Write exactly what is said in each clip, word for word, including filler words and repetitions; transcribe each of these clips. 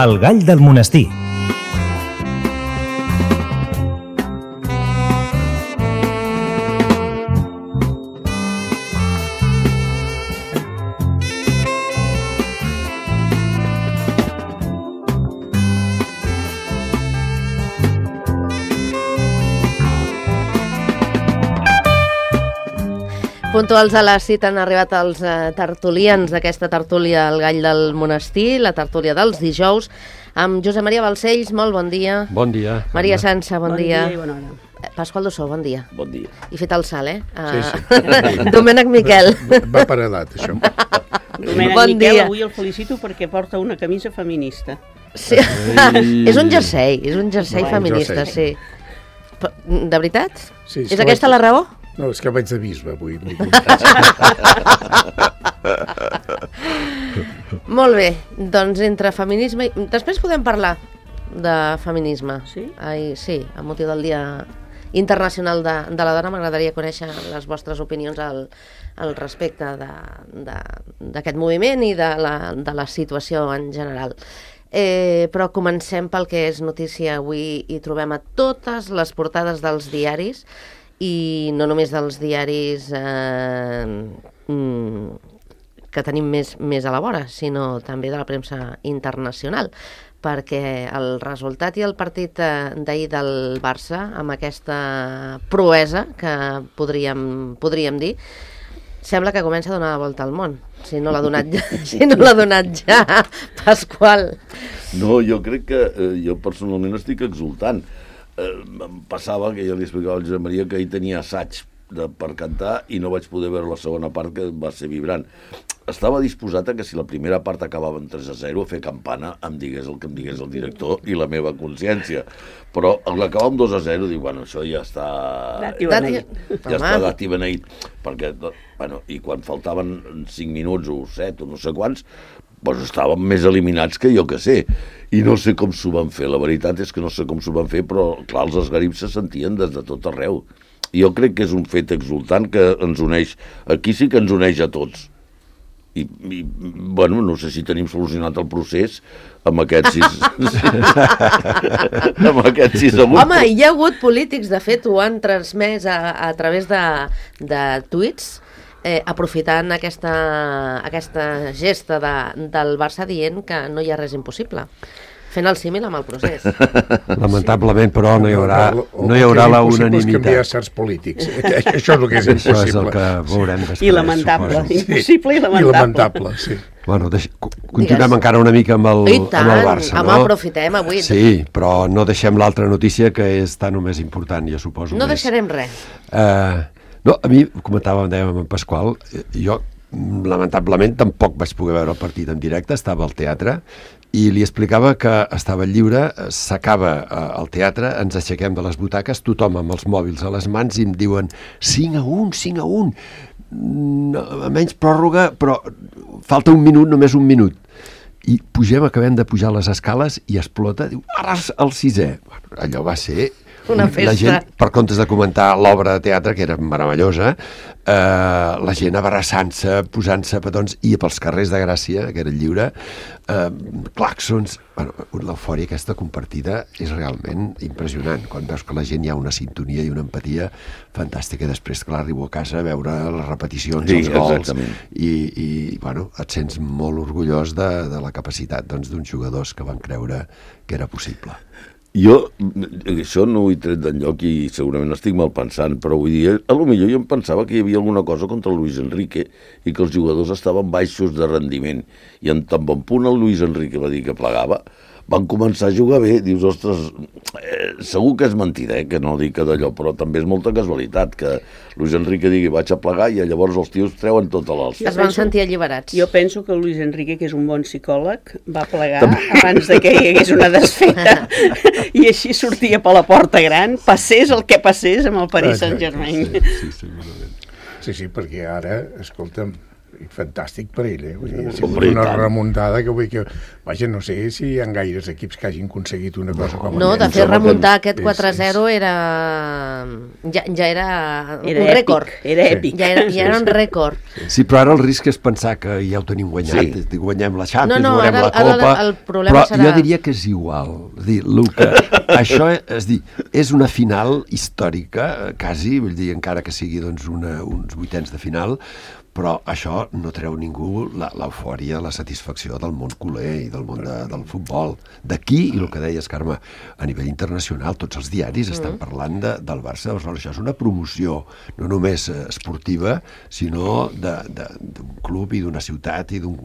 El gall del monestir. Puntuals a la cita han arribat els eh, tertulians d'aquesta tertúlia El gall del monestir, la tertúlia dels dijous, amb Josep Maria Balcells, molt bon dia. Bon dia. Maria Sança, bon, bon dia. dia i bona hora. Pasqual Dossó, bon dia. Bon dia. I fet el salt, eh? Uh, Sí, sí. Domènec Miquel. Va per edat, això. Domènec Bon Miquel, dia. avui el felicito perquè porta una camisa feminista. Sí. És un jersei, és un jersei No, un feminista, jersei. sí. Però, de veritat? Sí, és aquesta la raó? No, és que vaig de bisbe avui. Molt bé, doncs entre feminisme i... Després podem parlar de feminisme. Sí? Ai, sí, amb motiu del Dia Internacional de, de la Dona. M'agradaria conèixer les vostres opinions al, al respecte d'aquest moviment i de la, de la situació en general. Eh, però comencem pel que és notícia avui i trobem a totes les portades dels diaris i no només dels diaris eh, que tenim més, més a la vora, sinó també de la premsa internacional, perquè el resultat i el partit eh, d'ahir del Barça, amb aquesta proesa que podríem, podríem dir, sembla que comença a donar la volta al món, si no l'ha donat ja, si no l'ha donat ja, Pasqual. No, jo crec que eh, jo personalment estic exultant. Eh, em passava que jo li explicava al Josep Maria que ell tenia assaig de, per cantar i no vaig poder veure la segona part, que va ser vibrant. Estava disposat a que si la primera part acabava en tres a zero a fer campana em digués el que em digués el director i la meva consciència, però l'acabar amb dos a zero dic, bueno, això ja està Dat i beneït. ja està dat i beneït, perquè, bueno, i quan faltaven cinc minuts o set o no sé quants, doncs estàvem més eliminats que jo que sé, i no sé com s'ho van fer, la veritat és que no sé com s'ho van fer, però clar, els esgarips se sentien des de tot arreu. Jo crec que és un fet exultant que ens uneix, aquí sí que ens uneix a tots. I, i bueno, no sé si tenim solucionat el procés amb aquests sis... amb aquests sis segons. Home, hi ha hagut polítics, de fet, ho han transmès a, a través de, de tuits, eh, aprofitant aquesta, aquesta gesta de, del Barça dient que no hi ha res impossible, fent el símil amb el procés. Lamentablement, però, no hi haurà, no hi haurà la unanimitat. Canviar certs polítics. Això és el que és impossible. Això és el que veurem després. I lamentable, suposo. impossible i lamentable. I lamentable, sí. Bueno, deix... continuem Digues. encara una mica amb el, I tant, amb el Barça, home, no? aprofitem avui. Sí, però no deixem l'altra notícia, que és tan o més important, jo suposo. No més. deixarem res. Uh, no, a mi, comentàvem, dèiem amb en Pasqual, jo lamentablement tampoc vaig poder veure el partit en directe, estava al teatre, i li explicava que estava lliure, s'acaba eh, el teatre, ens aixequem de les butaques, tothom amb els mòbils a les mans i em diuen cinc a un, cinc a un, no, a menys pròrroga, però falta un minut, només un minut. I pugem, acabem de pujar les escales i explota, diu, ara el sisè. Bueno, allò va ser... Una festa. La gent, per comptes de comentar l'obra de teatre, que era meravellosa, eh, la gent abraçant-se, posant-se petons, i pels carrers de Gràcia, que era lliure, eh, clàxons... Bueno, l'eufòria aquesta compartida és realment impressionant, quan veus que la gent hi ha una sintonia i una empatia fantàstica. I després, clar, arribo a casa a veure les repeticions, sí, els gols, exactament. i, i bueno, et sents molt orgullós de, de la capacitat doncs, d'uns jugadors que van creure que era possible. Jo, això no ho he tret d'enlloc i segurament estic mal pensant, però vull dir, a lo millor jo em pensava que hi havia alguna cosa contra el Luis Enrique i que els jugadors estaven baixos de rendiment. I en tan bon punt el Luis Enrique va dir que plegava, van començar a jugar bé. Dius, ostres, eh, segur que és mentida, eh, que no dic que d'allò, però també és molta casualitat que Luis Enrique digui vaig a plegar i llavors els tios treuen tota l'alça. Es van sentir alliberats. Jo penso que el Luis Enrique, que és un bon psicòleg, va plegar també abans de que hi hagués una desfeta i així sortia per la porta gran, passés el que passés amb el Paris Saint-Germain. Sí, sí, segurament. Sí, sí, perquè ara, escolta'm, I fantàstic per ell, eh? Vull dir, ha Hombre, sigut i una tant. remuntada que vull que... Vaja, no sé si hi ha gaires equips que hagin aconseguit una cosa com No, de aquesta. fer remuntar aquest És- quatre a zero és- era... Ja, ja era, Era un èpic, rècord. era Sí. èpic. Ja era, ja era un rècord. Sí, però ara el risc és pensar que ja ho tenim guanyat, Sí. és a dir, guanyem la Champions, No, no, guanyem ara- la ara Copa, el problema però serà- jo diria que és igual. És dir, el que, això és, dir, és una final històrica, eh, quasi, vull dir, encara que sigui doncs, una, uns vuitens de final, però això no treu ningú la- l'eufòria, la satisfacció del món culer i del món de, del futbol. D'aquí, i el que deies, Carme, a nivell internacional, tots els diaris Mm. estan parlant de, del Barça. Aleshores, això és una promoció, no només eh, esportiva, sinó de- de- d'un club i d'una ciutat i d'un...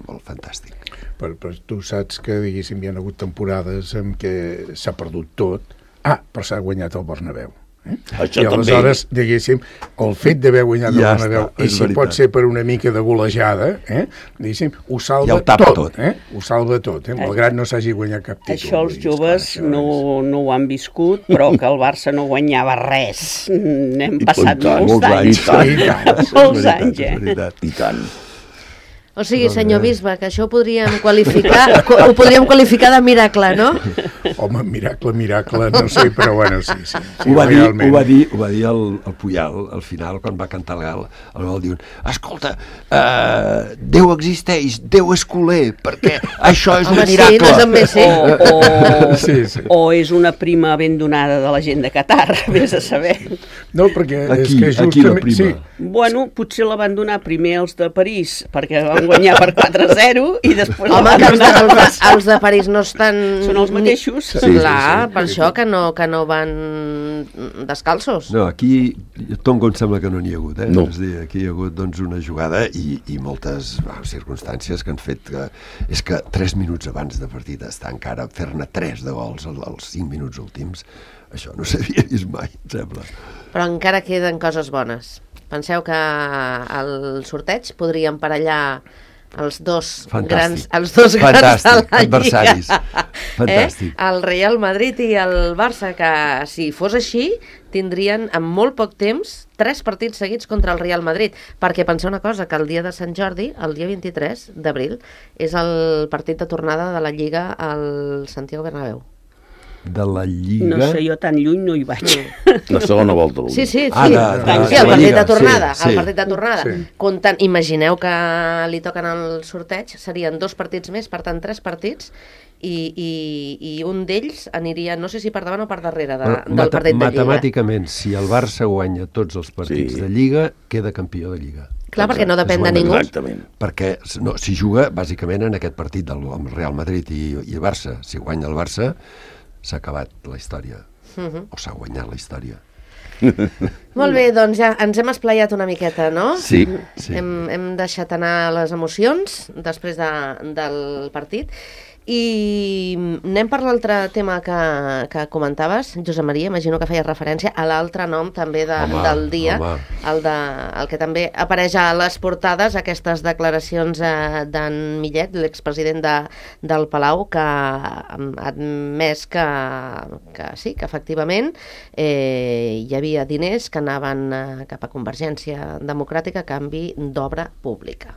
Molt fantàstic. Però, però tu saps que, diguéssim, hi ha hagut temporades en què s'ha perdut tot. Ah, però s'ha guanyat el Bernabéu. Eh? Això I també. aleshores, diguéssim, el fet d'haver guanyat Ja el Bernabéu, està, i és si veritat. pot ser per una mica de golejada, eh? diguéssim, ho salva Ja ho tapa tot. tot. Eh? Ho salva tot, eh? malgrat no s'hagi guanyat cap títol. Això els Vull dir, joves esclar, això no, no ho han viscut, però que el Barça no guanyava res. N'hem I passat tant, molts molts anys. anys. I tant. És Molts veritat, anys, és eh? veritat. I tant. O sigui, senyor Bisbe, que això ho podríem qualificar, ho podríem qualificar de miracle, no? Home, miracle, miracle, no sé, però bueno, sí, sí. sí Ho va, dir, realment. ho va dir, ho va dir el, el Puyal al final, quan va cantar el gal. El gal diu, escolta, uh, Déu existeix, Déu és culer, perquè això és Home, un sí, miracle. no és amb més, sí. O, o, Sí, sí. o és una prima ben donada de la gent de Qatar, vés a saber. No, perquè és Aquí, que aquí la justament... prima. Sí, Bueno, potser la van donar primer els de París, perquè van guanyar per quatre a zero, i després Home, la que van els de, donar... els, de, els de París no estan... Són els mateixos. Sí, Sí, clar, sí, sí. per això que no, que no van descalços. No, aquí Tongo em sembla que no n'hi ha hagut, eh? No. És a dir, aquí hi ha hagut doncs, una jugada i, i moltes bueno, circumstàncies que han fet que... És que tres minuts abans de partit estar encara fer-ne tres de gols als, als cinc minuts últims, això no s'havia vist mai, em sembla. Però encara queden coses bones. Penseu que al sorteig podria emparellar els dos Fantàstic. grans, els dos grans de Fantàstic, la adversaris. Lliga. Fantàstic. Eh? El Real Madrid i el Barça, que si fos així, tindrien en molt poc temps tres partits seguits contra el Real Madrid, perquè penseu una cosa, que el dia de Sant Jordi, el dia vint-i-tres d'abril, és el partit de tornada de la Lliga al Santiago Bernabéu. De la Lliga... No sé, jo tan lluny no hi vaig. La segona volta. Sí, sí, sí. Ah, de- de- sí, de el la partit Lliga, de tornada, sí, sí. el partit de tornada. Sí. Comptant, imagineu que li toquen el sorteig, serien dos partits més, per tant, tres partits, i, i, i un d'ells aniria, no sé si per davant o per darrere de, Bueno, del mata- partit de Lliga. Matemàticament, si el Barça guanya tots els partits Sí. de Lliga, queda campió de Lliga. Clar, perquè no depèn de És ningú. Exactament. Perquè no, si juga, bàsicament, en aquest partit del amb Real Madrid i, i Barça, si guanya el Barça, s'ha acabat la història. Mhm. O s'ha guanyat la història. Molt bé, doncs ja ens hem esplayat una miqueta, no? Sí, sí. Hem, hem deixat anar les emocions després de, del partit. I anem per l'altre tema que, que comentaves, Josep Maria, imagino que feies referència a l'altre nom també de, Home, del dia, home. el, de, el que també apareix a les portades, aquestes declaracions eh, d'en Millet, l'expresident de, del Palau, que ha admès que, que sí, que efectivament eh, hi havia diners que anaven eh, cap a Convergència Democràtica a canvi d'obra pública.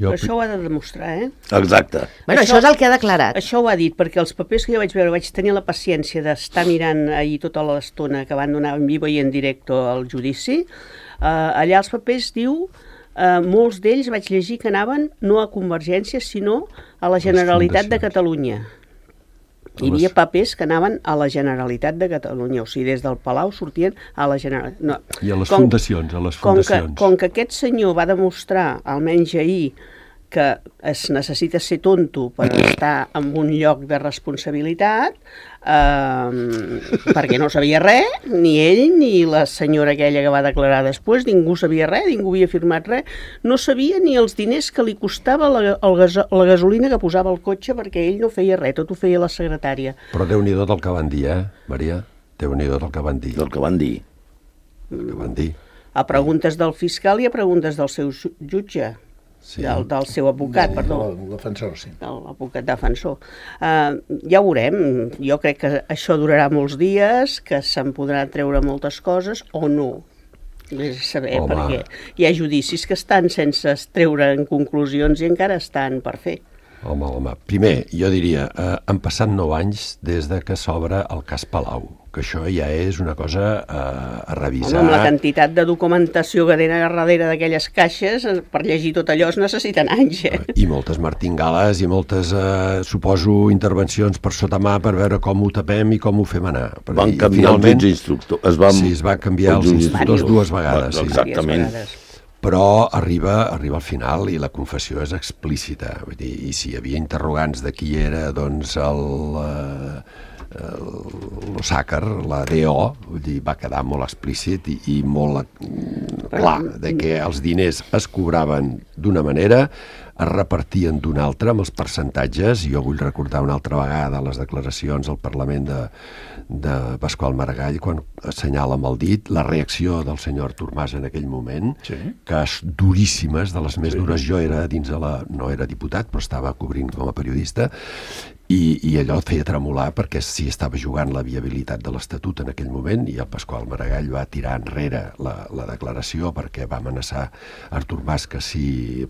Jo, Però això ho ha de demostrar, eh? Exacte. Bueno, això, Això- això és el que ha declarat. Això ho ha dit, perquè els papers que jo vaig veure, vaig tenir la paciència d'estar mirant ahir tota l'estona que van donar en vivo i en directe al judici. Uh, allà els papers diu, uh, molts d'ells vaig llegir que anaven no a Convergència, sinó a la Generalitat de fundacions. Catalunya. Hi A les- havia papers que anaven a la Generalitat de Catalunya, o sigui, des del Palau sortien a la Generalitat. No. I a les fundacions, a les Com que, fundacions. com que aquest senyor va demostrar, almenys ahir, que es necessita ser tonto per estar en un lloc de responsabilitat, eh, perquè no sabia res, ni ell ni la senyora aquella que va declarar després, ningú sabia res, ningú havia firmat res, no sabia ni els diners que li costava la, el gas, la gasolina que posava al cotxe, perquè ell no feia res, tot ho feia la secretària. Però Déu-n'hi-do del que van dir, eh, Maria? Déu-n'hi-do del que van dir. Del que van dir. El que van dir. A preguntes del fiscal i a preguntes del seu ju- jutge, Sí. del, del seu advocat, el, perdó. el defensor, sí. de l'advocat defensor. Uh, ja ho veurem. Jo crec que això durarà molts dies, que se'n podran treure moltes coses o no. Vés a saber, Home. perquè hi ha judicis que estan sense treure en conclusions i encara estan per fer. Home, home. Primer, jo diria, eh, han passat nou anys des de que s'obre el cas Palau, que això ja és una cosa eh, a revisar. Home, amb la quantitat de documentació que tenen a darrere d'aquelles caixes, per llegir tot allò es necessiten anys, eh? I moltes martingales i moltes, eh, suposo, intervencions per sota mà per veure com ho tapem i com ho fem anar. Perquè, Van canviar els jutges instructors. Es van... Sí, es van canviar els instructors dues vegades. Sí. Exactament. Però arriba, arriba al final i la confessió és explícita. Vull dir, i si hi havia interrogants de qui era, doncs, el, eh, l'Osàcar, la D O, vull dir, va quedar molt explícit i, i molt clar, de que els diners es cobraven d'una manera, es repartien d'una altra amb els percentatges. Jo vull recordar una altra vegada les declaracions al Parlament de, de Pasqual Maragall quan assenyala amb el dit la reacció del senyor Artur Mas en aquell moment, sí. que és duríssimes, de les més sí. dures. Jo era dins de la... no era diputat, però estava cobrint com a periodista, i, i allò et feia tremolar perquè sí estava jugant la viabilitat de l'Estatut en aquell moment, i el Pasqual Maragall va tirar enrere la, la declaració perquè va amenaçar Artur Mas que si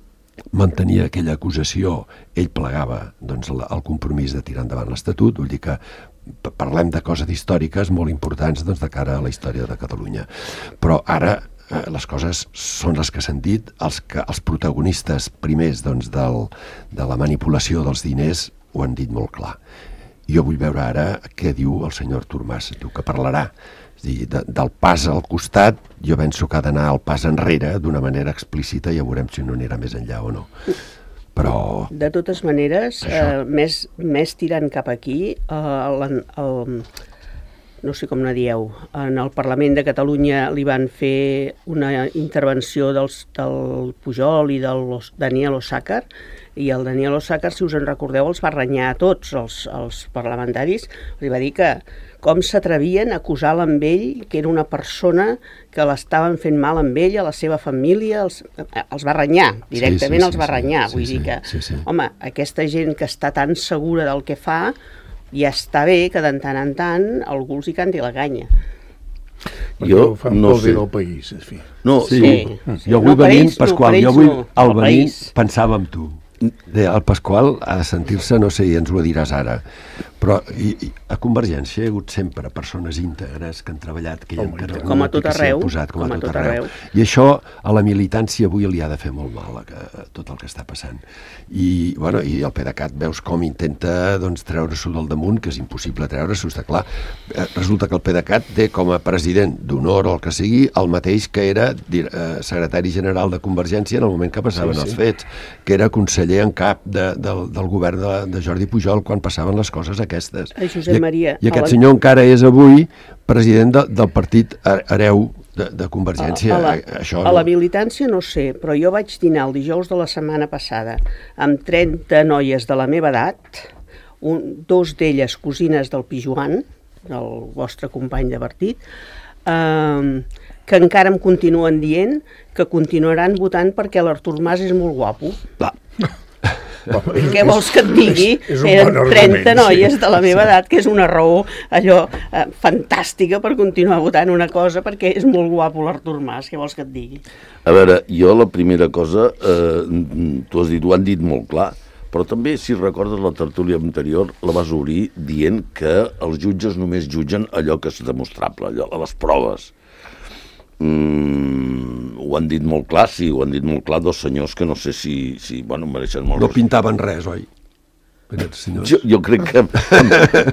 mantenia aquella acusació, ell plegava doncs, el, el compromís de tirar endavant l'Estatut. Vull dir que parlem de coses històriques molt importants doncs, de cara a la història de Catalunya. Però ara eh, les coses són les que s'han dit, els, que, els protagonistes primers doncs, del, de la manipulació dels diners ho han dit molt clar. Jo vull veure ara què diu el senyor Artur Mas, diu que parlarà. És dir, de, del pas al costat, jo penso que ha d'anar al pas enrere d'una manera explícita i ja veurem si no anirà més enllà o no. Però... De totes maneres, eh, més, més tirant cap aquí, eh, el, el, no sé com ne dieu, en el Parlament de Catalunya li van fer una intervenció dels, del Pujol i del Daniel Osàcar, i el Daniel Osàcar, si us en recordeu, els va renyar a tots els, els parlamentaris, li va dir que com s'atrevien a acusar amb ell que era una persona que l'estaven fent mal amb ell, a la seva família, els, els va renyar, directament sí, sí, els va renyar. Sí, Vull sí, dir que, sí, sí. home, aquesta gent que està tan segura del que fa, ja està bé que de tant en tant algú els hi canti la canya. Jo no sé. Del país, en fi. No, sí. sí. sí. Jo vull no, venir, ells, Pasqual, no, jo vull no, al venir pensava en tu. El Pasqual ha de sentir-se, no sé, i ens ho diràs ara, però i, i, a Convergència hi ha hagut sempre persones íntegres que han treballat, que hi ha encara com a tot arreu, posat, com, com a tot, tot arreu. arreu. I això a la militància avui li ha de fer molt mal a, a tot el que està passant. I, bueno, i el PDeCAT veus com intenta doncs, treure-s'ho del damunt, que és impossible treure-s'ho, està clar. Resulta que el PDeCAT té com a president d'honor o el que sigui el mateix que era eh, secretari general de Convergència en el moment que passaven sí, sí. els fets, que era conseller en cap de, del, del govern de, de Jordi Pujol quan passaven les coses aquestes. A Josep Maria, I, i aquest la... senyor encara és avui president de, del partit hereu de, de Convergència. A, a, la, Això, a no... la militància no sé, però jo vaig dinar el dijous de la setmana passada amb trenta noies de la meva edat, un, dos d'elles cosines del Pijuan, el vostre company de partit, eh, que encara em continuen dient que continuaran votant perquè l'Artur Mas és molt guapo. Va. Home, què vols que et digui? És, és Eren bon trenta noies sí. de la meva edat, que és una raó allò eh, fantàstica per continuar votant una cosa perquè és molt guapo l'Artur Mas, què vols que et digui? A veure, jo la primera cosa, eh, tu has dit, ho han dit molt clar, però també, si recordes la tertúlia anterior, la vas obrir dient que els jutges només jutgen allò que és demostrable, allò, les proves. Mm, ho han dit molt clar, sí, ho han dit molt clar dos senyors que no sé si, si bueno, mereixen molt... No pintaven res, oi? Jo, jo crec que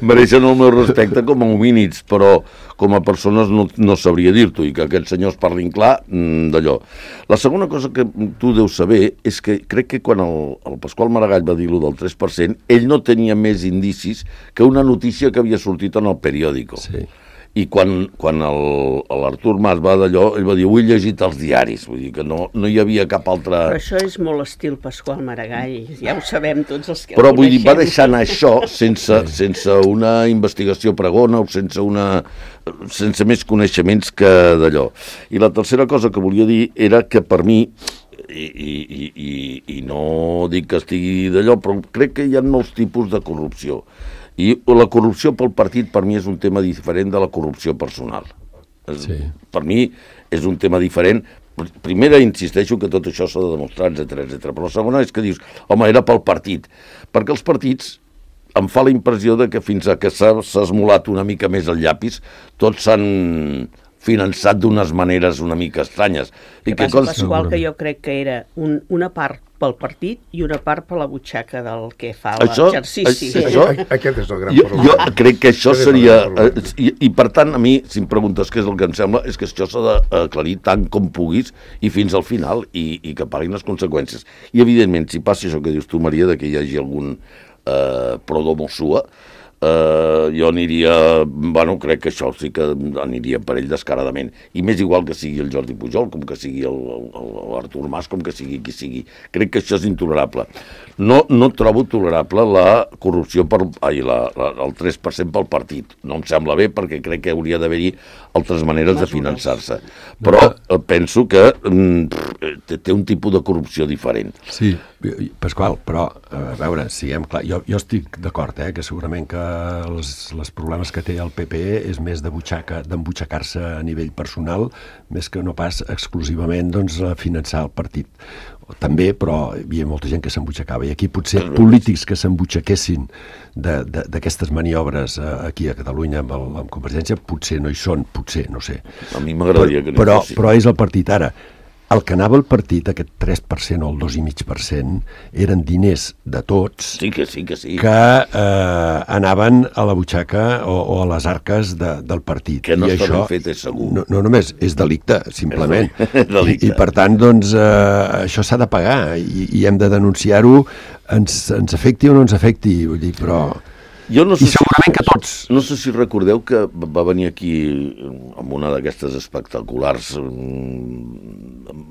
mereixen el meu respecte com a homínids, però com a persones no, no sabria dir-t'ho, i que aquests senyors parlin clar d'allò. La segona cosa que tu deus saber és que crec que quan el, el Pasqual Maragall va dir-lo del tres per cent, ell no tenia més indicis que una notícia que havia sortit en el periòdico. Sí. I quan, quan l'Artur Mas va d'allò, ell va dir, ho he llegit als diaris, vull dir que no, no hi havia cap altra... Però això és molt estil Pasqual Maragall, ja ho sabem tots els que Però vull dir, va deixar anar això sense, sense una investigació pregona o sense, una, sense més coneixements que d'allò. I la tercera cosa que volia dir era que per mi, i, i, i, i no dic que estigui d'allò, però crec que hi ha molts tipus de corrupció. I la corrupció pel partit per mi és un tema diferent de la corrupció personal. Sí. Per mi és un tema diferent. Primera, insisteixo que tot això s'ha de demostrar, etcètera, etcètera. Però la segona és que dius, home, era pel partit. Perquè els partits, em fa la impressió de que fins a que s'ha esmolat una mica més el llapis, tots s'han finançat d'unes maneres una mica estranyes. I que passa, Pasqual, que jo crec que era un, una part pel partit i una part per la butxaca del que fa l'exercici. Sí. Això, aquest és el gran jo, problema. Jo crec que això seria... Eh, i, I per tant, a mi, si em preguntes què és el que em sembla, és que això s'ha d'aclarir tant com puguis i fins al final i, i que paguin les conseqüències. I, evidentment, si passa això que dius tu, Maria, de que hi hagi algun eh, prodomo sua, Uh, jo aniria, bueno, crec que això sí que aniria per ell descaradament, i més igual que sigui el Jordi Pujol, com que sigui l'Artur Mas, com que sigui qui sigui. Crec que això és intolerable. No, no trobo tolerable la corrupció per, ai, la, la, el tres per cent pel partit. No em sembla bé, perquè crec que hauria d'haver-hi altres maneres de finançar-se. Però no. penso que mm, té un tipus de corrupció diferent. Sí, Pasqual, però a veure, siguem clar, jo, jo estic d'acord, eh, que segurament que els, els problemes que té el P P E és més de butxaca, d'embutxacar-se a nivell personal, més que no pas exclusivament doncs, finançar el partit. També, però hi havia molta gent que s'embutxacava, i aquí potser polítics que s'embutxaquessin d'aquestes maniobres aquí a Catalunya amb, el, amb Convergència potser no hi són, potser, no sé. A mi m'agradaria que no però, fossin. Però és el partit ara. El que anava al partit, aquest tres per cent o el dos coma cinc per cent, eren diners de tots sí que, sí que, sí. que eh, anaven a la butxaca o, o a les arques de, del partit. Que no I està això, ben fet, és segur. No, no només, és delicte, simplement. És delicte. I, I per tant, doncs, eh, això s'ha de pagar i, i hem de denunciar-ho, ens, ens afecti o no ens afecti, vull dir, però... Jo no sé I segurament si, que tots. No sé si recordeu que va venir aquí amb una d'aquestes espectaculars um,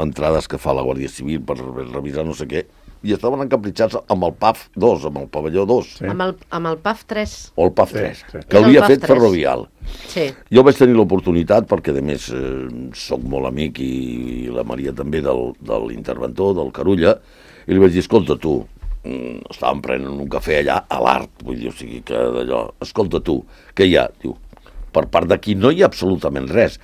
entrades que fa la Guàrdia Civil per revisar no sé què, i estaven encapritxats amb el P A F dos, amb el pavelló dos. Sí. Amb, el, amb el P A F tres. O el P A F tres, sí, sí. que havia fet Ferrovial. Sí. Jo vaig tenir l'oportunitat, perquè a més eh, soc molt amic, i la Maria també, del, de l'interventor, del Carulla, i li vaig dir, escolta tu, estàvem prenent un cafè allà a l'Art, vull dir, o sigui que d'allò, escolta tu, què hi ha? Diu, per part d'aquí no hi ha absolutament res.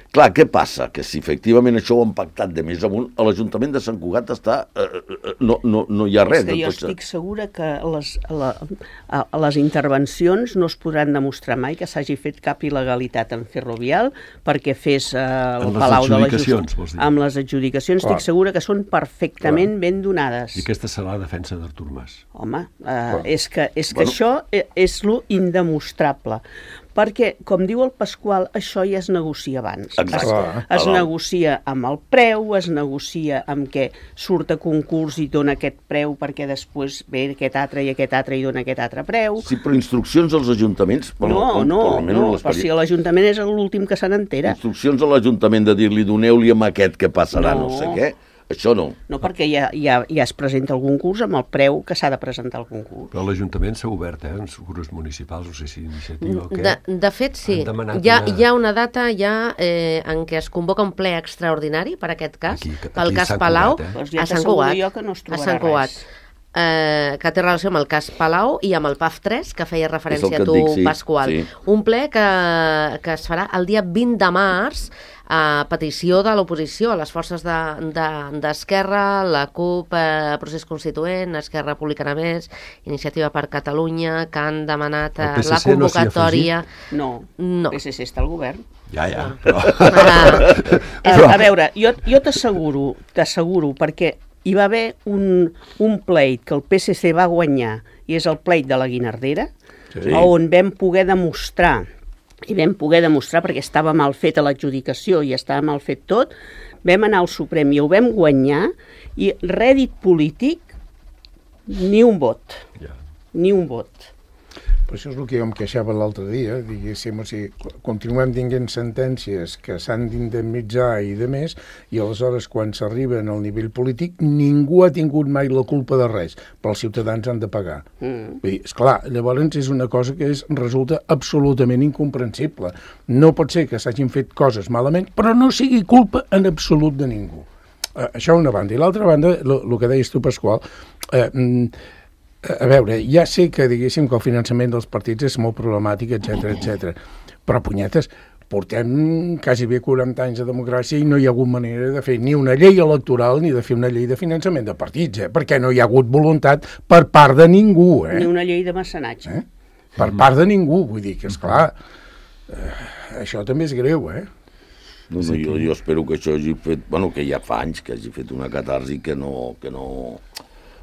Clar, què passa? Que si efectivament això ho han pactat de més amunt, a l'Ajuntament de Sant Cugat està... Eh, no, no, no hi ha res. És que jo estic segura que les, la, a les intervencions no es podran demostrar mai que s'hagi fet cap il·legalitat en Ferrovial perquè fes eh, el Palau de la Justícia. Amb les adjudicacions Clar. Estic segura que són perfectament Clar. Ben donades. I aquesta serà la defensa d'Artur Mas. Home, eh, és que, és que bueno. Això és lo indemostrable. Perquè, com diu el Pasqual, això ja es negocia abans. Exacte. Es, es negocia amb el preu, es negocia amb què surt a concurs i dona aquest preu perquè després ve aquest altre i aquest altre i dona aquest altre preu. Sí, però instruccions als ajuntaments... Bueno, no, no, no, però si l'Ajuntament és l'últim que se n'entera. Instruccions a l'Ajuntament de dir-li doneu-li amb aquest que passarà no, no sé què... Això no. No, perquè ja, ja, ja es presenta el concurs amb el preu que s'ha de presentar el concurs. Però l'Ajuntament s'ha obert, eh, en grups municipals, no sé si iniciativa o què. De, de fet, sí. Hi ha, una... hi ha una data ja eh, en què es convoca un ple extraordinari per aquest cas, aquí, aquí pel cas Palau, Cugat, eh? pues ja a Sant Cugat. Jo que no es trobarà a Sant Cugat. Res. Eh, que té relació amb el cas Palau i amb el P A F tres, que feia referència a tu, dic, sí, Pasqual. Sí. Un ple que, que es farà el dia vint de març a petició de l'oposició, a les forces d'Esquerra, de, de, la CUP, eh, Procés Constituent, Esquerra Republicana Més, Iniciativa per Catalunya, que han demanat eh, la convocatòria... No, no, el P S C està al govern. Ja, ja. Però... Ah, però... A veure, jo, jo t'asseguro, t'asseguro, perquè hi va haver un, un pleit que el P S C va guanyar, i és el pleit de la Guinardera, sí. On vam poder demostrar, i vam poder demostrar perquè estava mal feta l'adjudicació i estava mal fet tot, vam anar al Suprem i ho vam guanyar, i rèdit polític, ni un vot, ja. Ni un vot. Però això és el que jo em queixava l'altre dia, diguéssim, o sigui, continuem tinguent sentències que s'han d'indemnitzar i de més, i aleshores quan s'arriben al nivell polític ningú ha tingut mai la culpa de res, però els ciutadans han de pagar. Mm. Vull dir, esclar, llavors és una cosa que és, resulta absolutament incomprensible. No pot ser que s'hagin fet coses malament, però no sigui culpa en absolut de ningú. Uh, això una banda. I l'altra banda, el que deies tu, Pasqual, eh, a veure, ja sé que diguéssim que el finançament dels partits és molt problemàtic, etcètera, etcètera. Però, punyetes, portem quasi bé quaranta anys de democràcia i no hi ha hagut manera de fer ni una llei electoral ni de fer una llei de finançament de partits, eh? Perquè no hi ha hagut voluntat per part de ningú. Eh? Ni una llei de mecenatge. Eh? Per part de ningú, vull dir que, esclar, eh, això també és greu, eh? No, no, jo, jo espero que això hagi fet, bueno, que ja fa anys que hagi fet una catarsi que no, que no,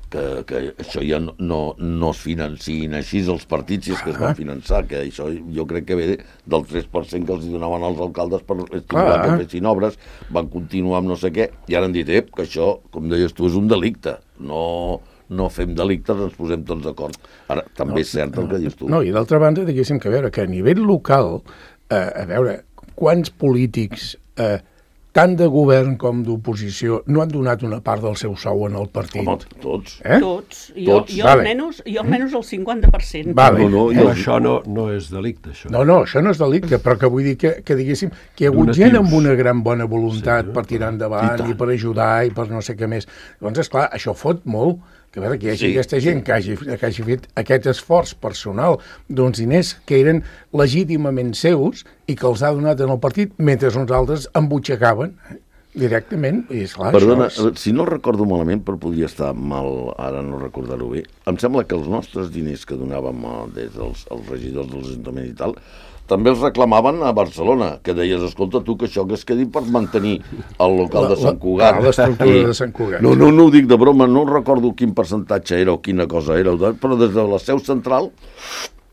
que, que això ja no, no, no es financin així els partits si és que es van finançar, que això jo crec que ve del tres per cent que els donaven als alcaldes per estimular que fessin obres, van continuar amb no sé què, i ara han dit, eh, que això, com deies tu, és un delicte, no... no fem delictes, ens posem tots d'acord. Ara, també no, és cert el que dius tu. No, i d'altra banda, diguéssim que a veure, que a nivell local, eh, a veure, quants polítics, eh, tant de govern com d'oposició, no han donat una part del seu sou en el partit? Home, tots. Eh? Tots. Jo, tots. jo, Vale. almenys, jo almenys el cinquanta per cent. Vale. No, no, Eh? no, això no, no és delicte, això. No, no, això no és delicte, però que vull dir que, que diguéssim, que hi ha hagut Donatius. gent amb una gran bona voluntat Sí, per tirar endavant i i, i per ajudar i per no sé què més. Doncs, esclar, això fot molt, que a veure, que hi hagi Sí, aquesta gent que hagi, que hagi fet aquest esforç personal d'uns diners que eren legítimament seus i que els ha donat en el partit mentre uns altres embutxacaven eh, directament. I, esclar, Perdona, això és... si no recordo malament, però podria estar mal, ara no recordar-ho bé, em sembla que els nostres diners que donàvem a, des dels els regidors dels ajuntaments i tal, també els reclamaven a Barcelona, que deies, escolta, tu, que això que es quedi per mantenir el local de Sant Cugat. Ah, l'estructura de Sant Cugat. No, no, no ho dic de broma, no recordo quin percentatge era o quina cosa era, però des de la seu central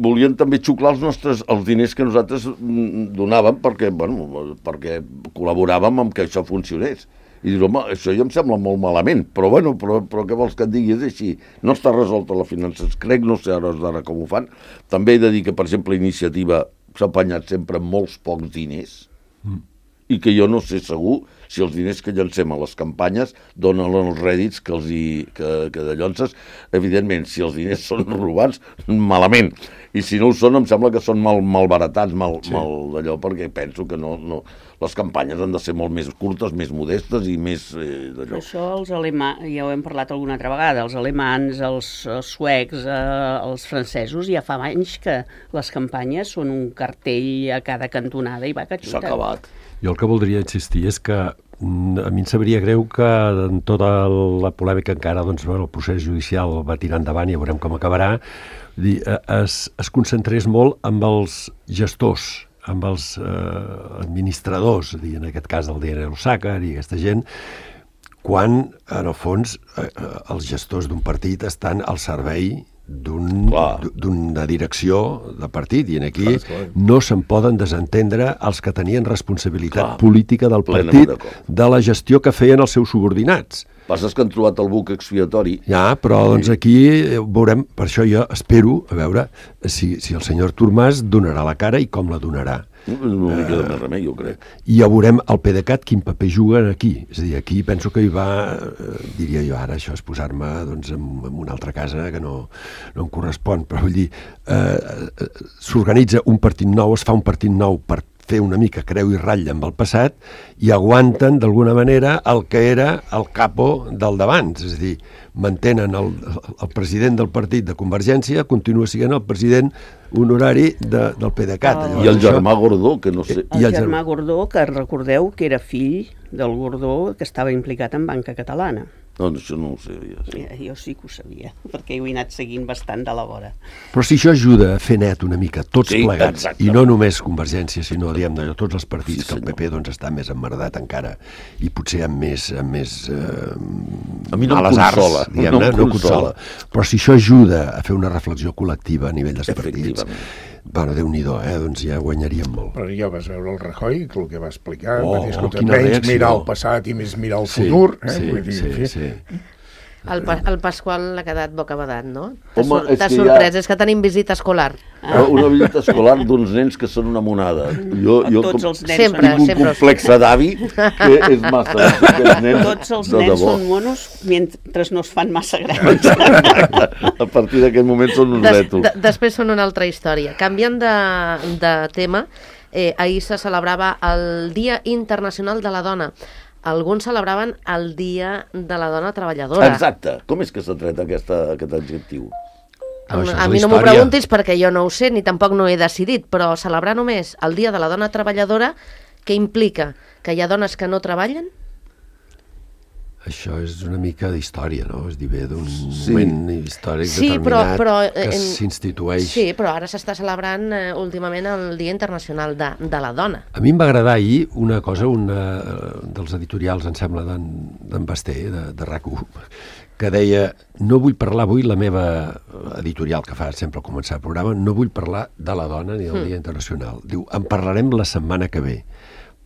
volien també xuclar els nostres els diners que nosaltres donàvem perquè, bueno, perquè col·laboràvem amb que això funcionés. I dius, home, això ja em sembla molt malament, però bueno, però, però què vols que et digui? És així. No està resolta la finances, crec, no sé ara d'ara com ho fan. També he de dir que, per exemple, Iniciativa s'ha apanyat sempre amb molts pocs diners mm. i que jo no sé segur si els diners que llancem a les campanyes donen els rèdits que, els hi, que, que de llonces. Evidentment, si els diners són robats, malament. I si no ho són, em sembla que són mal, malbaratats, mal, sí. mal d'allò, perquè penso que no, no... les campanyes han de ser molt més curtes, més modestes i més eh, d'allò. Això els alemans, ja ho hem parlat alguna altra vegada, els alemans, els, els suecs, eh, els francesos, ja fa anys que les campanyes són un cartell a cada cantonada i va que xuta. S'ha acabat. Jo el que voldria insistir és que a mi em sabria greu que en tota la polèmica encara doncs, bueno, el procés judicial va tirar endavant i ja veurem com acabarà, dir, es, es concentrés molt amb els gestors, amb els eh, administradors, dir, en aquest cas el D N Osàcar i aquesta gent, quan, en el fons, eh, els gestors d'un partit estan al servei d'una un, direcció de partit, i aquí clar, clar. no se'n poden desentendre els que tenien responsabilitat clar, política del partit de la gestió que feien els seus subordinats. Passes que han trobat el buc expiatori. Ja, però doncs aquí veurem, per això jo espero, a veure, si, si el senyor Artur Mas donarà la cara i com la donarà. No li queda més remei, jo crec. I ja veurem el PDeCAT quin paper juga aquí. És a dir, aquí penso que hi va, eh, diria jo ara, això és posar-me doncs, en, en una altra casa que no, no em correspon, però vull dir, eh, s'organitza un partit nou, es fa un partit nou per fer una mica creu i ratlla amb el passat i aguanten d'alguna manera el que era el capo del d'abans, és a dir, mantenen el, el president del partit de Convergència, continua sent el president honorari de, del PDeCAT. Oh. I el germà Gordó, que no sé... El, el germà Gordó, que recordeu que era fill del Gordó que estava implicat en Banca Catalana. No, això no ho sabia. Sí. Ja, jo sí que ho sabia, perquè ho he anat seguint bastant de la vora. Però si això ajuda a fer net una mica tots sí, plegats, exacte. i no només Convergència, sinó diguem de tots els partits, sí, que el P P doncs, està més emmerdat encara, i potser amb més, amb més eh, a mi no males em arts, diguem, no, no consola. Però si això ajuda a fer una reflexió col·lectiva a nivell dels partits, bueno, Déu-n'hi-do, eh? Doncs ja guanyaríem molt. Però ja vas veure el Rajoy, el que va explicar, oh, va dir, escolta, oh, menys reacció. mirar el passat i més mirar el sí, futur. Eh? Sí, Vull dir, sí, sí. El, pa el Pasqual l'ha quedat bocabadat, no? Home, T'ha sorprès, ja... és que tenim visita escolar. Ah. Una visita escolar d'uns nens que són una monada. Jo, jo Tots com, els nens sempre, tinc un sempre. complex d'avi que és massa. Nens, Tots els de nens debò. són monos mentre no es fan massa grans. A partir d'aquest moment són uns Des, retos. de, després són una altra història. Canviant de, de tema, eh, ahir se celebrava el Dia Internacional de la Dona. Alguns celebraven el Dia de la Dona Treballadora. Exacte. Com és que s'ha tret aquesta, aquest adjectiu? No, això és a la mi no m'ho història. preguntis perquè jo no ho sé ni tampoc no he decidit, però celebrar només el Dia de la Dona Treballadora, què implica? Que hi ha dones que no treballen? Això és una mica d'història, no? És dir, ve d'un Sí. moment històric Sí, però, determinat però, que en- s'institueix. Sí, però ara s'està celebrant eh, últimament el Dia Internacional de, de la Dona. A mi em va agradar ahir una cosa, una dels editorials, em sembla, d'en Basté, de, de RAC u, que deia, no vull parlar avui, la meva editorial que fa sempre al començar el programa, no vull parlar de la dona ni del Mm. Dia Internacional. Diu, en parlarem la setmana que ve,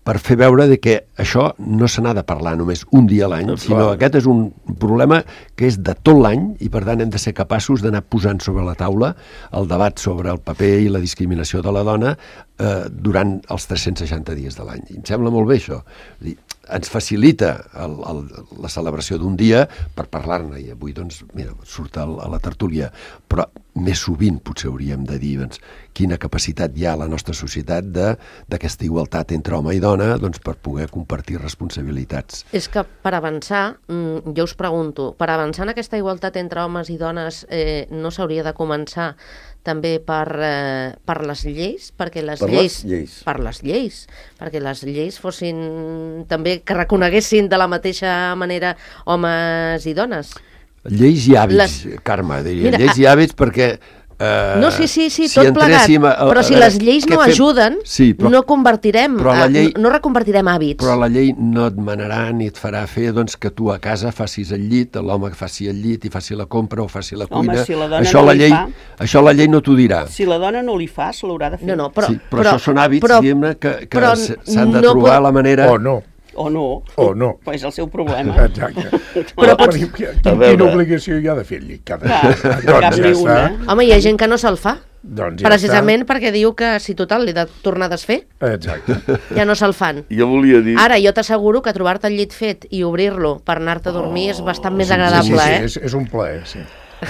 per fer veure de que això no se n'ha de parlar només un dia a l'any, Clar. sinó aquest és un problema que és de tot l'any i per tant hem de ser capaços d'anar posant sobre la taula el debat sobre el paper i la discriminació de la dona eh, durant els tres-cents seixanta dies de l'any. I em sembla molt bé això. És dir, ens facilita el, el, la celebració d'un dia per parlar-ne i avui doncs, mira, surt a la tertúlia, però més sovint potser hauríem de dir doncs, quina capacitat hi ha a la nostra societat d'aquesta igualtat entre home i dona doncs, per poder compartir responsabilitats. És que per avançar, mm, jo us pregunto, per avançar en aquesta igualtat entre homes i dones eh, no s'hauria de començar també per, eh, per les lleis, perquè les Per les lleis, lleis. per les lleis, perquè les lleis fossin també que reconeguessin de la mateixa manera homes i dones. Lleis i hàbits, Les- Carme, diria. Mira, Lleis i hàbits perquè... Eh, No, sí, sí, sí, tot plegat, entréssim a- a- però a si veure, les lleis què no fem? ajuden, Sí, però- no convertirem, però la eh, llei- no reconvertirem hàbits. Però la llei no et manarà ni et farà fer doncs, que tu a casa facis el llit, l'home faci el llit i faci la compra o faci la Home, cuina. si la dona això, no la li llei, fa- això la llei no t'ho dirà. Si la dona no li fa, se l'haurà de fer. No, no, però, sí, però, això són hàbits, però- diguem-ne, que, que però s- s'han de no trobar pot- la manera... O no. O no. O no. Pues és el seu problema. Exacte. Però Però, pots- quina, A quina veure. obligació hi ha de fer el llit cada Clar, dia? cap ni una. Home, hi ha gent que no se'l fa, Doncs ja precisament perquè diu que si total li he de tornar a desfer, està. Exacte. ja no se'l fan. Jo volia dir... Ara, jo t'asseguro que trobar-te el llit fet i obrir-lo per anar-te a dormir és bastant més Sí, agradable, sí, sí, eh? és, és un plaer, sí.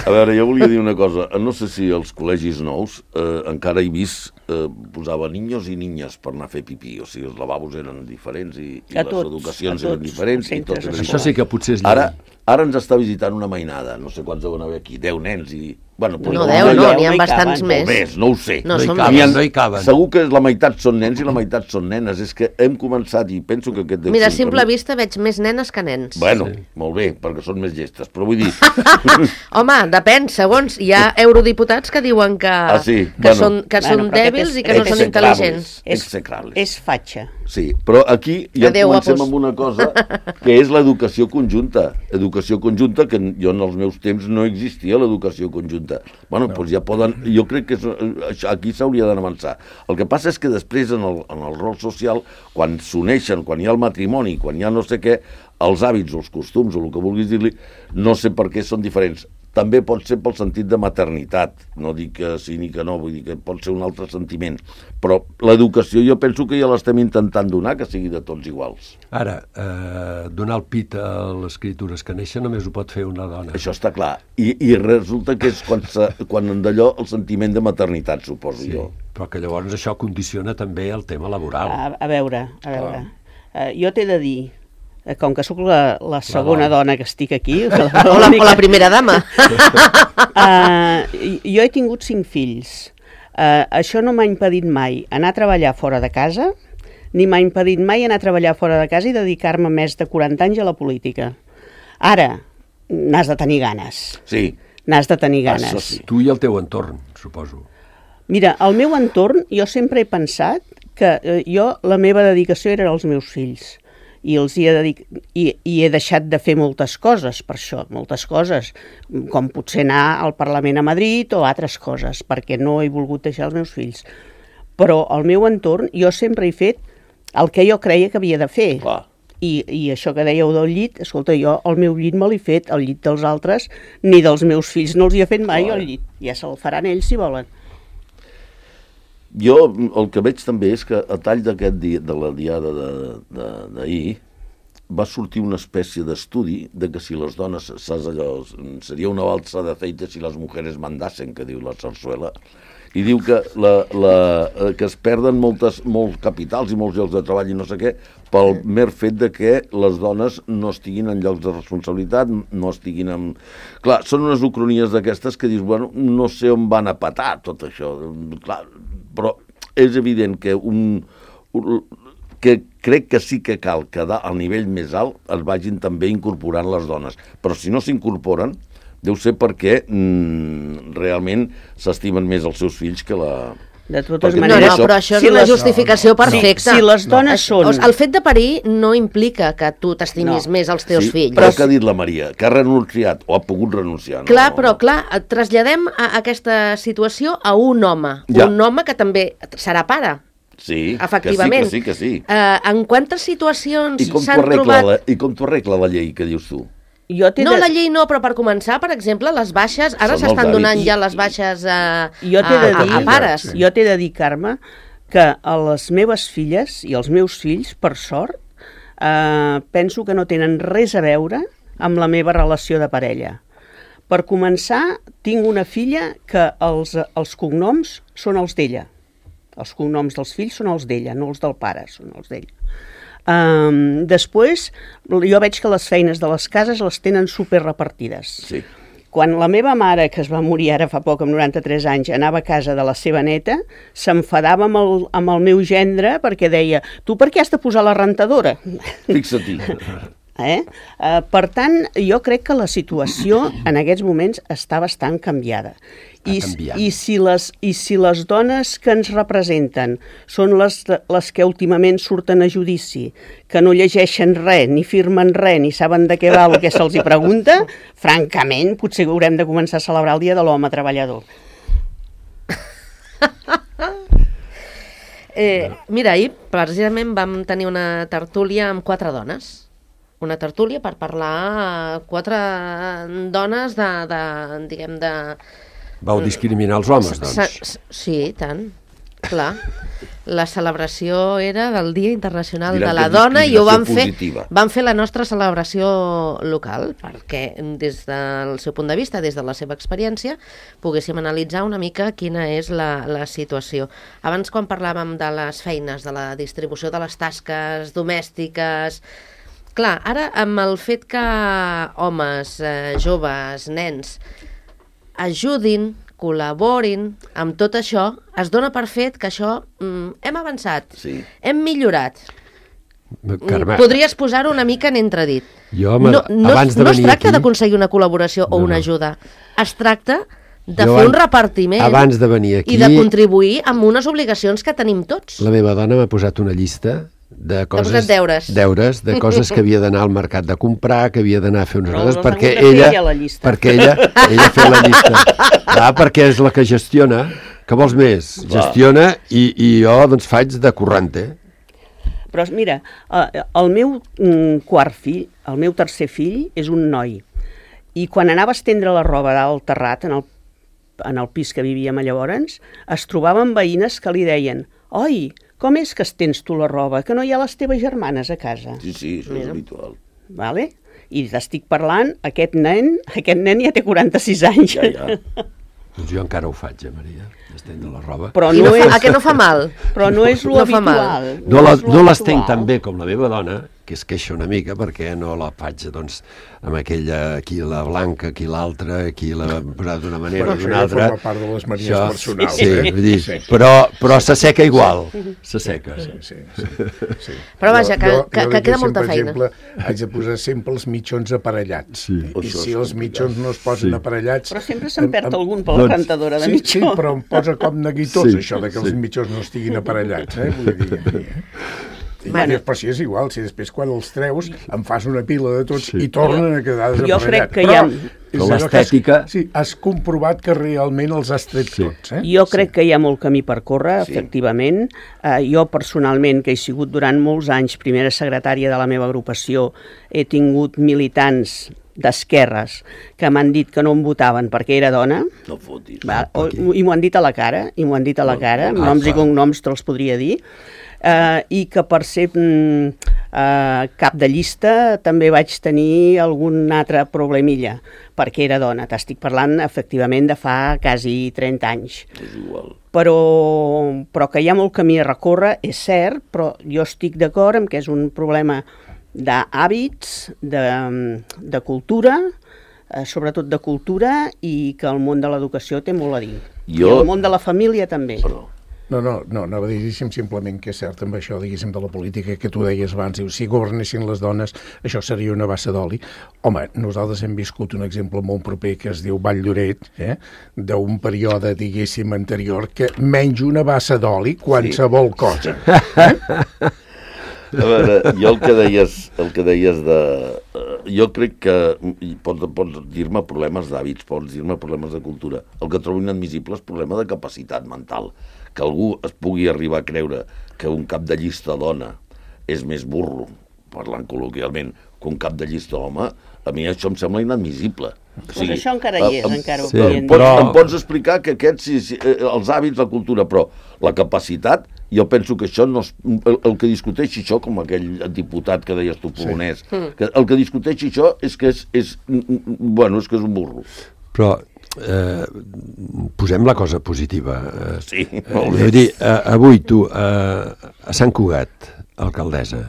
A veure, jo volia dir una cosa. No sé si als col·legis nous eh, encara he vist eh, posava niños i niñes per anar a fer pipí. O sigui, els lavabos eren diferents i, i A les tots, educacions a eren tots diferents. els I tot centres era Això igual. sí que potser és llei. Ara, ara ens està visitant una mainada. No sé quants deuen haver aquí. Deu nens i... Bueno, No, però deu, no, no n'hi ha hi bastants caben. més. o més, no ho sé. No, No hi són caben, més. no hi caben. Segur que la meitat són nens i la meitat són nenes. És que hem començat i penso que aquest... deu Mira, a ser un simple camí- vista veig més nenes que nens. Bueno, sí. Molt bé, perquè són més llestes. Però vull dir... Home, depèn, segons. Hi ha eurodiputats que diuen que, Ah, sí? que Bueno. són, que són Bueno, però aquest dèbils és- i que no són execrables. intel·ligents. És, Execrables. és fatxa. Sí, però aquí ja Adéu, comencem guapos. amb una cosa que és l'educació conjunta. Educació conjunta, que jo en els meus temps no existia l'educació conjunta. Bueno, no. Doncs ja poden... Jo crec que és, això, aquí s'hauria d'avançar. El que passa és que després en el, en el rol social, quan s'uneixen, quan hi ha el matrimoni, quan hi ha no sé què, els hàbits o els costums o el que vulguis dir-li, no sé per què són diferents. També pot ser pel sentit de maternitat, no dic que sí ni que no, vull dir que pot ser un altre sentiment, però l'educació jo penso que ja l'estem intentant donar, que sigui de tots iguals. Ara, eh, donar el pit a les criatures que neixen només ho pot fer una dona. Això està clar. I, i resulta que és quan, se, quan d'allò el sentiment de maternitat, suposo Sí, jo. però que llavors això condiciona també el tema laboral. A, a veure, a veure. Uh, jo t'he de dir, eh, com que sóc la, la segona dona. dona que estic aquí... O la, o la primera dama. Uh, jo he tingut cinc fills. Uh, això no m'ha impedit mai anar a treballar fora de casa, ni m'ha impedit mai anar a treballar fora de casa i dedicar-me més de quaranta anys a la política. Ara, n'has de tenir ganes. Sí, N'has de tenir Això ganes. sí. Tu i el teu entorn, suposo. Mira, al meu entorn jo sempre he pensat que eh, jo la meva dedicació era als meus fills i els hi he, dedic... I, i he deixat de fer moltes coses per això, moltes coses, com potser anar al Parlament a Madrid o altres coses, perquè no he volgut deixar els meus fills. Però al meu entorn jo sempre he fet el que jo creia que havia de fer. clar. I, I això que dèieu del llit, escolta, jo el meu llit me l'he fet, el llit dels altres, ni dels meus fills no els hi he fet mai Clar. el llit. Ja se'l faran ells si volen. Jo el que veig també és que a tall d'aquest dia, de la diada de- de- d'ahir, va sortir una espècie d'estudi de que si les dones, saps allò, seria una balsa de aceite si les mujeres mandassen, que diu la Sarsuela, i diu que, la, la, que es perden moltes, molts capitals i molts llocs de treball i no sé què, pel mer fet de que les dones no estiguin en llocs de responsabilitat, no estiguin en... Clar, són unes ucronies d'aquestes que dius, bueno, no sé on van a patar tot això, clar, però és evident que un... un que crec que sí que cal que al nivell més alt es vagin també incorporant les dones, però si no s'incorporen deu ser perquè mm, realment s'estimen més els seus fills que la... De totes Perquè maneres... No, no, però això si és una les- justificació no, no, perfecta. Si, si les dones No. són... El fet de parir no implica que tu t'estimis No. més els teus sí, fills. però que ha dit la Maria, que ha renunciat o ha pogut renunciar. No? Clar, però clar, traslladem a aquesta situació a un home. Ja. Un home que també serà pare. Sí, Efectivament. que sí, que sí, que sí. Uh, en quantes situacions I com t'ho s'han arregla, trobat... la, i com t'ho arregla la llei que dius tu? Jo t'he No, de... la llei no, però per començar, per exemple, les baixes, ara Són s'estan els donant hàbits. ja les baixes a, Jo t'he a, de a, dir, a pares. jo t'he de dir, Carme, que a les meves filles i els meus fills, per sort, eh, penso que no tenen res a veure amb la meva relació de parella. Per començar, tinc una filla que els, els cognoms són els d'ella. Els cognoms dels fills són els d'ella, no els del pare, són els d'ella. Um, després, jo veig que les feines de les cases les tenen super repartides. Sí. Quan la meva mare, que es va morir ara fa poc, amb noranta-tres anys, anava a casa de la seva neta, s'enfadava amb, el, amb el meu gendre perquè deia, tu per què has de posar la rentadora? Fixa-t'hi. Eh? Uh, per tant, jo crec que la situació en aquests moments està bastant canviada. I, canviant. i, si les, I si les dones que ens representen són les, les que últimament surten a judici, que no llegeixen res, ni firmen res, ni saben de què va el que se'ls hi pregunta, francament, potser haurem de començar a celebrar el Dia de l'Home Treballador. Eh, mira, ahir precisament vam tenir una tertúlia amb quatre dones. Una tertúlia per parlar quatre dones de, de diguem, de... Vau discriminar els homes, doncs. Sa- Sí, tant, clar. La celebració era del Dia Internacional Diran de la que és Dona i ho vam fer, discriminació positiva. vam fer la nostra celebració local perquè des del seu punt de vista, des de la seva experiència, poguéssim analitzar una mica quina és la, la situació. Abans, quan parlàvem de les feines, de la distribució de les tasques domèstiques... Clar, ara amb el fet que homes, eh, joves, nens ajudin, col·laborin amb tot això, es dona per fet que això mm, hem avançat, Sí. hem millorat. Carme, Podries posar-ho una mica en entredit. Jo, me- no, no, abans de no es venir tracta aquí- d'aconseguir una col·laboració o No, una no. ajuda. Es tracta de Jo fer an- un repartiment abans de venir aquí- i de contribuir amb unes obligacions que tenim tots. la meva dona m'ha posat una llista de coses... posat deures. Deures, de coses que havia d'anar al mercat de comprar, que havia d'anar a fer unes Però coses, les perquè hagut de fer ella... ella, la llista. Perquè ella, ella fa la llista. Clar, perquè és la que gestiona. Que vols més? Va. Gestiona i, i jo doncs faig de corrente. Però mira, eh, el meu mm, quart fill, el meu tercer fill, és un noi. I quan anava a estendre la roba dalt al terrat, en el, en el pis que vivíem llavors, es trobaven veïnes que li deien «Oi, com és que estens tu la roba, que no hi ha les teves germanes a casa?» Sí, sí, això és habitual. Vale? I t'estic parlant, aquest nen, aquest nen ja té quaranta-sis anys. Ja, ja. Doncs jo encara ho faig, eh, Maria, d'estendre la roba. Però I no, no fa, és, a què no fa mal? però no és lo no fa mal. habitual. No, la, és lo no l'estenc habitual. tan bé com la meva dona, que es queixa una mica perquè no la faig doncs, amb aquella, aquí la blanca, aquí l'altra, aquí la posat d'una manera Però o això d'una ja altra. forma part de les manies personals, Sí, eh? vull dir, Sí. però, però s'asseca igual, s'asseca. Sí, sí, sí, sí. Però vaja, que- que- que dic queda sempre, molta per feina. exemple, haig de posar sempre els mitjons aparellats. Sí. I Això si és els mitjons no es posen Sí. aparellats... Però sempre se'n perd em- em- algun per la Doncs, rentadora de Sí, mitjó. sí, però em posa com neguitós, Sí, això de que sí. els mitjons no estiguin aparellats, eh? Vull dir... eh? I, Bueno. però si és igual, si després quan els treus em fas una pila de tots Sí. i tornen a quedar Jo desaparellats. crec que hi ha- Però és Però allò que has- l'estètica- Sí, has comprovat que realment els has tret Sí. tots, eh? Jo crec que hi ha molt camí per córrer, Sí. efectivament. Uh, jo personalment, que he sigut durant molts anys primera secretària de la meva agrupació, he tingut militants d'esquerres que m'han dit que no em votaven perquè era dona, No fotis. va, o, aquí. i m'ho han dit a la cara, i m'ho han dit a la cara, amb Ah, noms i clar. cognoms te'ls podria dir, uh, i que per ser mm, eh, cap de llista també vaig tenir algun altre problemilla, perquè era dona. T'estic parlant, efectivament, de fa quasi trenta anys. És igual. Però, però que hi ha molt camí a recórrer, és cert, però jo estic d'acord amb que és un problema d'hàbits, de, de cultura, eh, sobretot de cultura, i que el món de l'educació té molt a dir. Jo... I el món de la família també. Perdó. No, no, no, anava a dir simplement que és cert amb això, diguéssim, de la política que tu deies abans, diu, si governessin les dones, això seria una bassa d'oli. Home, nosaltres hem viscut un exemple molt proper que es diu Vall d'Oret, eh? d'un període, diguéssim, anterior, que menys una bassa d'oli qualsevol sí. cosa. Eh? A veure, jo el que deies, el que deies de... Jo crec que pots, pots dir-me problemes d'hàbits, pots dir-me problemes de cultura. El que trobo inadmissible és problema de capacitat mental. Que algú es pugui arribar a creure que un cap de llista dona és més burro, parlant col·loquialment, que un cap de llista home, a mi això em sembla inadmissible. O sigui, això encara hi és, em, encara ho sí, podien dir. Però... Em pots explicar que aquests, sí, sí, els hàbits, la cultura, però la capacitat, jo penso que això no és, el, el que discuteixi això, com aquell diputat que deies tu polonès, sí. que el que discuteixi això és que és, és, bueno, és que és un burro. Però eh, posem la cosa positiva. Eh, Sí, eh, molt bé. vull dir, eh, avui tu, eh, a Sant Cugat, alcaldessa,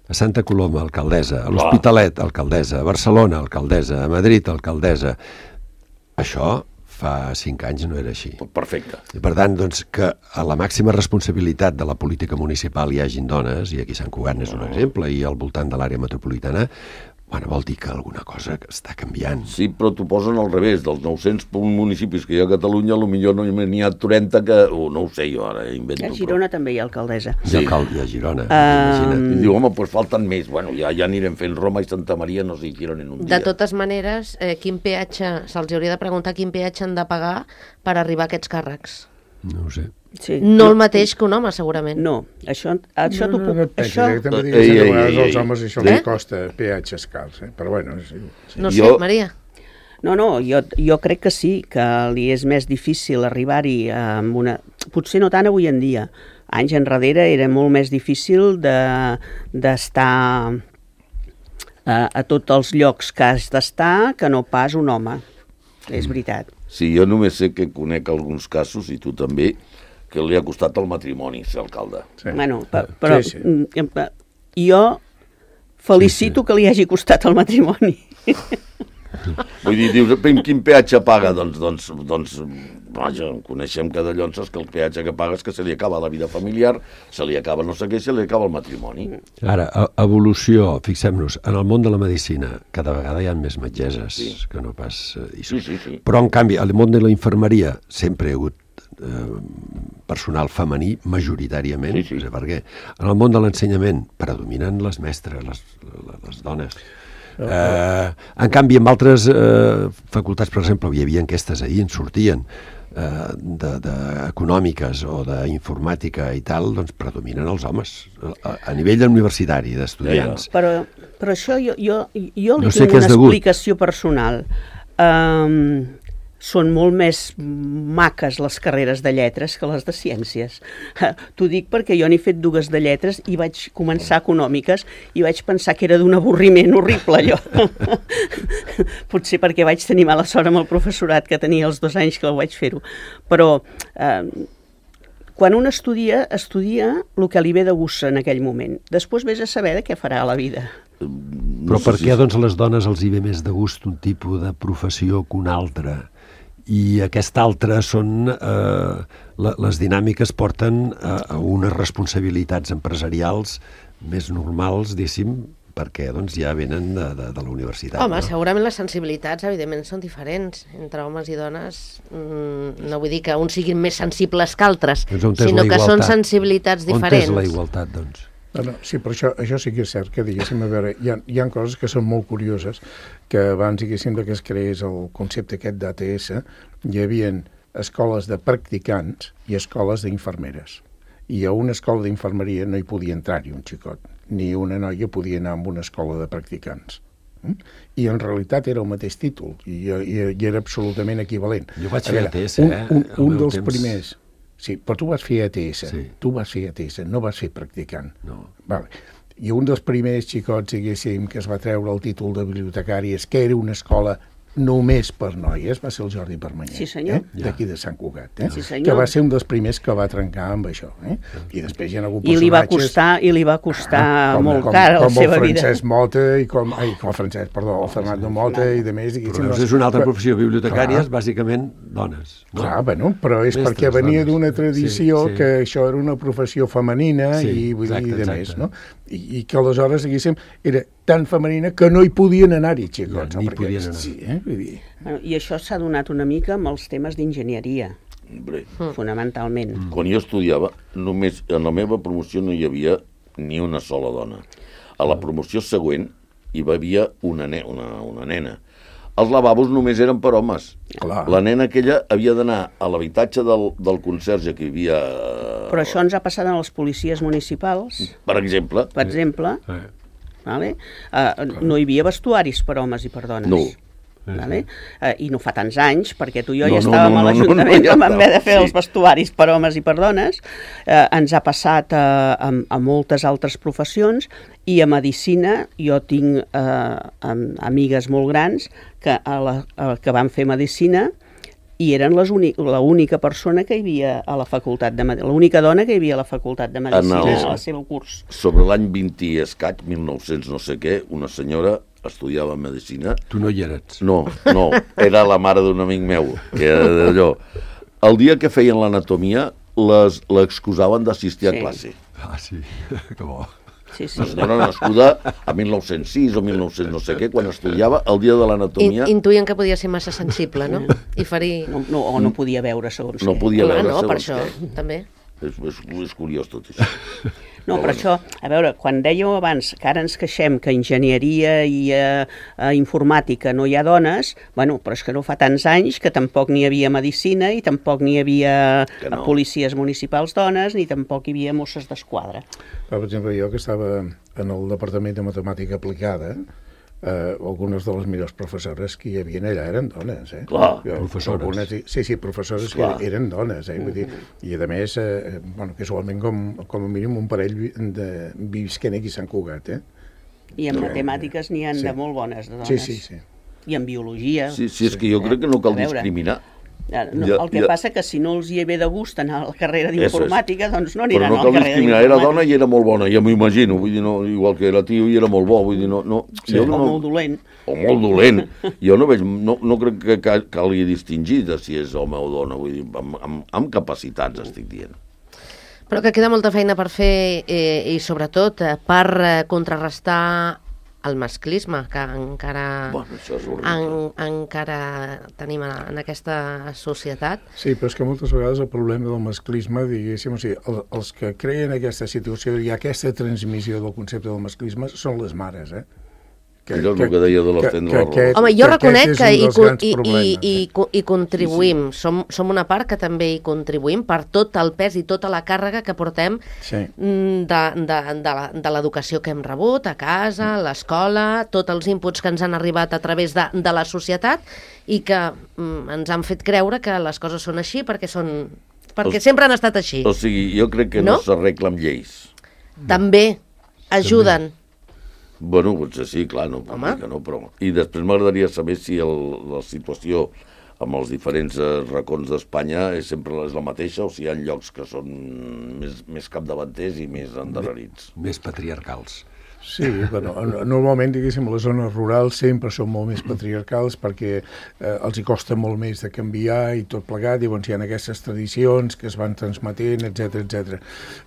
a Santa Coloma, alcaldessa, a l'Hospitalet, alcaldessa, a Barcelona, alcaldessa, a Madrid, alcaldessa. Això fa cinc anys no era així. Perfecte. I per tant, doncs, que a la màxima responsabilitat de la política municipal hi hagin dones, i aquí Sant Cugat n'és un exemple, i al voltant de l'àrea metropolitana, bueno, vol dir que alguna cosa està canviant. Sí, però t'ho posen al revés. Dels nou-cents municipis que hi ha a Catalunya, potser no n'hi ha trenta que... Oh, no ho sé, jo ara invento. A Girona però... també hi ha alcaldessa. Sí. Hi ha alcalde a Girona, Um, imagina't. I diu, home, doncs falten més. Bueno, ja, ja anirem fent Roma i Santa Maria, no sé, Girona en un dia. De totes maneres, eh, quin peatge, se'ls hauria de preguntar quin peatge han de pagar per arribar a aquests càrrecs. No ho sé. Sí. No el mateix que un home, segurament. No, això, això no, t'ho no, no, puc... no, Això... no, també Ei, diguéssim que a ei, vegades ei, als ei. homes això Eh? li costa peatges cars, eh? Però bueno, sí, sí. No sé, Jo- Maria. No, no, jo, jo crec que sí, que li és més difícil arribar-hi amb una... Potser no tant avui en dia. Anys enrere era molt més difícil de- d'estar a, a tots els llocs que has d'estar que no pas un home. És veritat. Sí, jo només sé que conec alguns casos, i tu també, que li ha costat el matrimoni ser alcalde. Sí. Bueno, pe- però Sí, sí. mm, jo felicito Sí, sí. que li hagi costat el matrimoni. Vull dir, dius, quin peatge paga? Doncs, doncs, doncs vaja, coneixem cada llonses que el peatge que paga és que se li acaba la vida familiar, se li acaba no sé què, se li acaba el matrimoni. Ara, a- evolució, fixem-nos, en el món de la medicina cada vegada hi ha més metgesses Sí. que no pas... Eh, i Sí, sí, sí. Però, en canvi, al món de la infermeria sempre hi ha hagut eh, personal femení, majoritàriament, Sí, sí. no sé per què. En el món de l'ensenyament predominen les mestres, les, les, les dones. Eh, en canvi, en altres eh, facultats, per exemple, hi havia enquestes ahir, en sortien, eh, de, de econòmiques o d'informàtica i tal, doncs predominen els homes a, a nivell universitari, d'estudiants. Però, però això jo, jo, jo li No sé tinc què és una degut. explicació personal. Um, són molt més maques les carreres de lletres que les de ciències. T'ho dic perquè jo n'he fet dues de lletres i vaig començar econòmiques i vaig pensar que era d'un avorriment horrible, allò. Potser perquè vaig tenir mala sort amb el professorat que tenia els dos anys que ho vaig fer-ho. Però eh, quan un estudia, estudia el que li ve de gust en aquell moment. Després vés a saber de què farà a la vida. Però per què doncs a les dones els hi ve més de gust un tipus de professió que un altre? I aquesta altra són... Eh, la, les dinàmiques porten a, a unes responsabilitats empresarials més normals, diguéssim, perquè doncs, ja venen de, de, de la universitat. Home, no? segurament les sensibilitats, evidentment, són diferents entre homes i dones. Mm, no vull dir que uns siguin més sensibles que altres, Doncs on és sinó la que són igualtat? sensibilitats On diferents. és la igualtat, doncs? No, no, sí, però això, això sí que és cert, que diguéssim, a veure, hi ha, hi ha coses que són molt curioses, que abans, diguéssim, que es creés el concepte aquest d'A T S, hi havia escoles de practicants i escoles d'infermeres. I a una escola d'infermeria no hi podia entrar-hi un xicot, ni una noia podia anar a una escola de practicants. I en realitat era el mateix títol, i, i, i era absolutament equivalent. Jo vaig A fer veure, A T S, un, eh, un, al un meu dels temps. primers... Sí, però tu vas fer A T S, Sí. tu vas fer A T S, no vas fer practicant. No. Vale. i un dels primers xicots, diguéssim, que es va treure el títol de bibliotecari és que era una escola només per noies, va ser el Jordi Permanyer, sí, senyor. eh? d'aquí de Sant Cugat, eh? Sí, senyor. que va ser un dels primers que va trencar amb això. Eh? I després hi ha hagut I li va personatges... costar, i li va costar com, molt com, car a la com seva el vida. Francesc Mota i com... Ai, com el Francesc, perdó, el Fernando Mota i de més. Però és una altra professió, bibliotecàries, bàsicament dones. No? Clar, bueno, però és Mestres, perquè venia dones. d'una tradició Sí, sí. que això era una professió femenina Sí, i, vull exacte, dir, de exacte. més, no? I, I que aleshores, diguéssim, era tan femenina que no hi podien anar-hi, xicots. Ja, ni no? Perquè, podien anar. Sí, eh? Vull dir... Bueno, I això s'ha donat una mica amb els temes d'enginyeria, Hombre, fonamentalment. Mm. quan jo estudiava, només en la meva promoció no hi havia ni una sola dona. A la promoció següent hi havia una, ne una, una nena. Els lavabos només eren per homes. Clar. La nena aquella havia d'anar a l'habitatge del, del conserge que hi havia... Però això ens ha passat a les policies municipals, Per exemple, per exemple, Eh. vale? uh, no hi havia vestuaris per homes i per dones. No. Vale? Uh, I no fa tants anys, perquè tu i jo No, ja no, estàvem no, a no, l'Ajuntament no, no, ja quan vam haver de fer sí. els vestuaris per homes i per dones. Uh, ens ha passat uh, a, a moltes altres professions, i a medicina jo tinc uh, amigues molt grans que, a la, a, que van fer medicina i eren l'única persona que hi havia a la facultat de medicina, l'única dona que hi havia a la facultat de medicina el- a la seva curs. sobre l'any vint i escaig, mil nou-cents no sé què, una senyora estudiava medicina. Tu no hi eres. No, no, era la mare d'un amic meu, que era d'allò. El dia que feien l'anatomia, les l'excusaven d'assistir a Sí. classe. Ah, sí, que bo. Sí, sí. Una senyora nascuda a mil nou-cents sis o mil nou-cents no sé què, quan estudiava el dia de In, l'anatomia, intuïen que podia ser massa sensible, no? I ferir... No, no, o no podia veure segons no què. podia Clar, veure no, per segons això, què. també. És, és, és curiós tot això. No, però això, a veure, quan dèieu abans que ara ens queixem que enginyeria i eh, eh, informàtica no hi ha dones, bueno, però és que no fa tants anys que tampoc n'hi havia medicina i tampoc n'hi havia Que no. policies municipals dones ni tampoc hi havia Mosses d'Esquadra. Per exemple, jo que estava en el Departament de Matemàtica Aplicada, eh, algunes de les millors professores que hi havia allà eren dones, eh? Clar, Jo, professores. Algunes, sí, sí, professores Clar. que eren dones, eh? Vull dir, i a més, eh, bueno, casualment com, com a mínim un parell vi- de visquent aquí a Sant Cugat, eh? I en Sí. matemàtiques n'hi ha Sí. de molt bones de dones. Sí, sí, sí. I en biologia. Sí, sí, és que jo crec que no cal A veure. discriminar. Ara, no, Ja- el que ja- passa que si no els hi ve de gust anar a la carrera Eso és. d'informàtica, doncs no Però aniran no a la cal carrera discriminar, era d'informàtica. dona i era molt bona, ja m'ho imagino, vull dir, no, igual que era tio i era molt bo, vull dir, no... no Sí. jo O no, molt dolent. o molt dolent. Jo no veig, no, no crec que ca- calgui distingir de si és home o dona, vull dir, amb, amb, amb capacitats estic dient. Però que queda molta feina per fer eh, i sobretot eh, per eh, contrarrestar el masclisme que encara, Bueno, això és horrible. en, encara tenim en, en aquesta societat. Sí, però és que moltes vegades el problema del masclisme, diguéssim, o sigui, el, els que creen aquesta situació i aquesta transmissió del concepte del masclisme són les mares, eh? Allò és el que deia de l'estendre la roba. aquest- Home, jo que aquest reconec és que un hi, dels co- grans i, i, problemes, i, eh? co- i contribuïm, som, som una part que també hi contribuïm per tot el pes i tota la càrrega que portem Sí. mm, de, de, de la- de l'educació que hem rebut a casa, a l'escola, tots els inputs que ens han arribat a través de, de la societat i que mm, ens han fet creure que les coses són així perquè són perquè O- sempre han estat així. O sigui, jo crec que no, No? no s'arregla amb lleis. També ajuden. Bueno, potser sí, clar, no, Home. que no, però... I després m'agradaria saber si el, la situació amb els diferents eh, racons d'Espanya és sempre és la mateixa o si hi ha llocs que són més, més capdavanters i més endarrerits. Més patriarcals. Sí, bueno, normalment, diguéssim, les zones rurals sempre són molt més patriarcals perquè eh, els hi costa molt més de canviar i tot plegat, llavors hi ha aquestes tradicions que es van transmetent, etcètera, etcètera.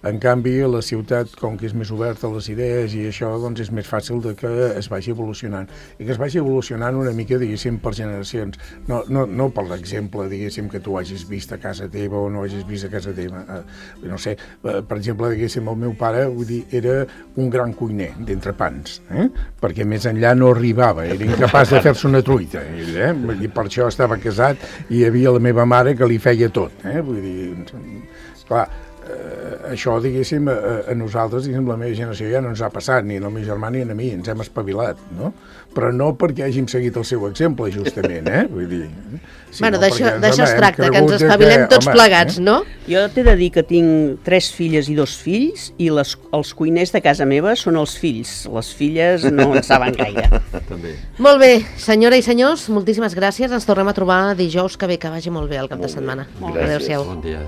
En canvi, la ciutat, com que és més oberta a les idees i això, doncs és més fàcil de que es vagi evolucionant. I que es vagi evolucionant una mica, diguéssim, per generacions. No, no, no per l'exemple, diguéssim, que tu hagis vist a casa teva o no hagis vist a casa teva. Eh, no sé, eh, per exemple, diguéssim, el meu pare, vull dir, era un gran cuiner d'entrepans, eh? perquè més enllà no arribava, era incapaç de fer-se una truita, ell, eh? Vull dir, per això estava casat i hi havia la meva mare que li feia tot, eh? Vull dir, clar, eh, això, diguéssim, a, a nosaltres, diguéssim, la meva generació ja no ens ha passat, ni al meu germà ni a mi, ens hem espavilat, no? Però no perquè hàgim seguit el seu exemple, justament, eh? Vull dir... Bueno, d'això es tracta, que ens espavilem tots plegats, no? Jo t'he de dir que tinc tres filles i dos fills i les, els cuiners de casa meva són els fills. Les filles no en saben gaire. També. Molt bé, senyora i senyors, moltíssimes gràcies. Ens tornem a trobar dijous que ve, que vagi molt bé el cap de setmana. Gràcies. Adéu-siau. Bon dia.